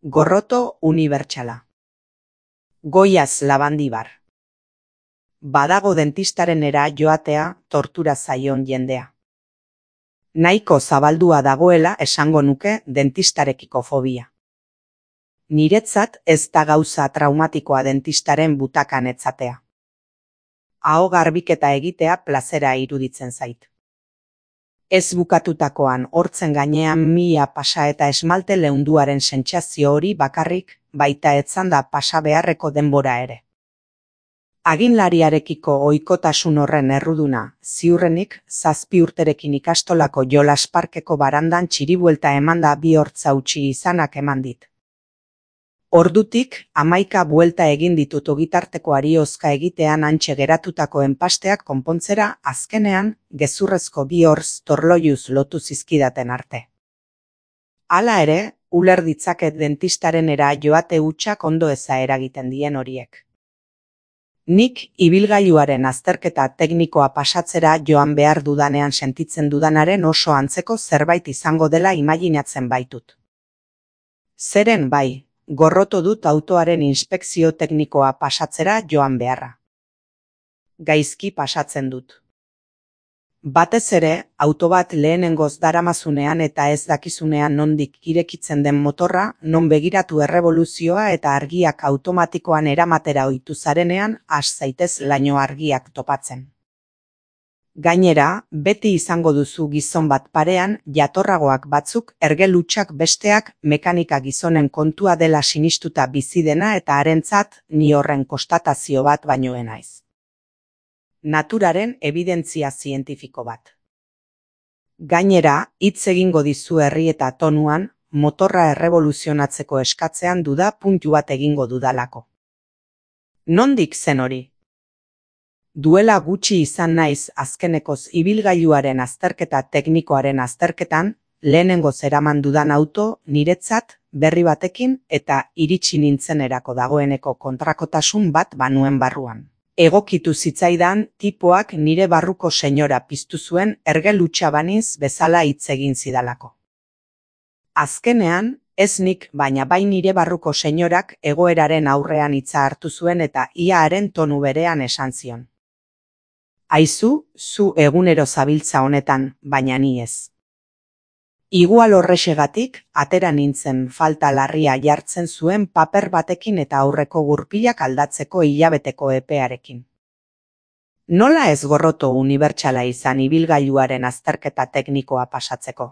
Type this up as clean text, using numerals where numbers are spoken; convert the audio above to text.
Gorroto unibertsala. Goiaz Labandibar. Badago dentistarenera joatea tortura zaion jendea. Nahiko zabaldua dagoela esango nuke dentistarekiko fobia. Niretzat ez da gauza traumatikoa dentistaren butakan etzatea. Aho garbiketa egitea plazera iruditzen zait. Ez bukatutakoan hortzen gainean mila pasa eta esmalte leunduaren sentsazio hori bakarrik, baita etzanda pasa beharreko denbora ere. Aginlariarekiko ohikotasun horren erruduna, ziurrenik 7 urterekin ikastolako jolas parkeko barandan txiribuelta emanda bi hortz hautsi izanak eman dit. Ordutik 11 buelta egin ditut ogitartekoari hozka egitean hantxe geratutako enpasteak konpontzera azkenean gezurrezko bi hortz torloiuz lotu zizkidaten arte. Hala ere, uler ditzaket dentistarenera joate hutsak ondo eza eragiten dien horiek. Nik ibilgailuaren azterketa teknikoa pasatzera joan behar dudanean sentitzen dudanaren oso antzeko zerbait izango dela imaginatzen baitut. Zeren bai, gorroto dut autoaren inspekzio teknikoa pasatzera joan beharra. Gaizki pasatzen dut. Batez ere, auto bat lehenengoz daramazunean eta ez dakizunean nondik irekitzen den motorra, non begiratu erreboluzioa eta argiak automatikoan eramatera ohitu zarenean has zaitez laino argiak topatzen. Gainera, beti izango duzu gizon bat parean, jatorragoak batzuk ergelutsak besteak mekanika gizonen kontua dela sinistuta bizi dena eta harentzat ni horren konstatazio bat baino ez naiz. Naturaren ebidentzia zientifiko bat. Gainera, hitz egingo dizu herri eta tonuan, motorra erreboluzionatzeko eskatzean duda puntu bat egingo dudalako. Nondik zen hori? Duela gutxi izan naiz azkenekoz ibilgailuaren azterketa teknikoaren azterketan, lehenengo zeraman dudan auto niretzat berri batekin eta iritsi nintzenerako dagoeneko kontrakotasun bat banuen barruan. Egokitu zitzaidan tipoak nire barruko senyora piztu zuen ergelutsa baniz bezala hitz egin zidalako. Azkenean, ez nik baina bai nire barruko senyorak egoeraren aurrean hitza hartu zuen eta ia haren tonu berean esan zion. Aizu, zu egunero zabiltza honetan, baina ni ez. Igual horrexegatik, atera nintzen falta larria jartzen zuen paper batekin eta aurreko gurpilak aldatzeko hilabeteko epearekin. Nola ez gorroto unibertsala izan ibilgailuaren azterketa teknikoa pasatzeko?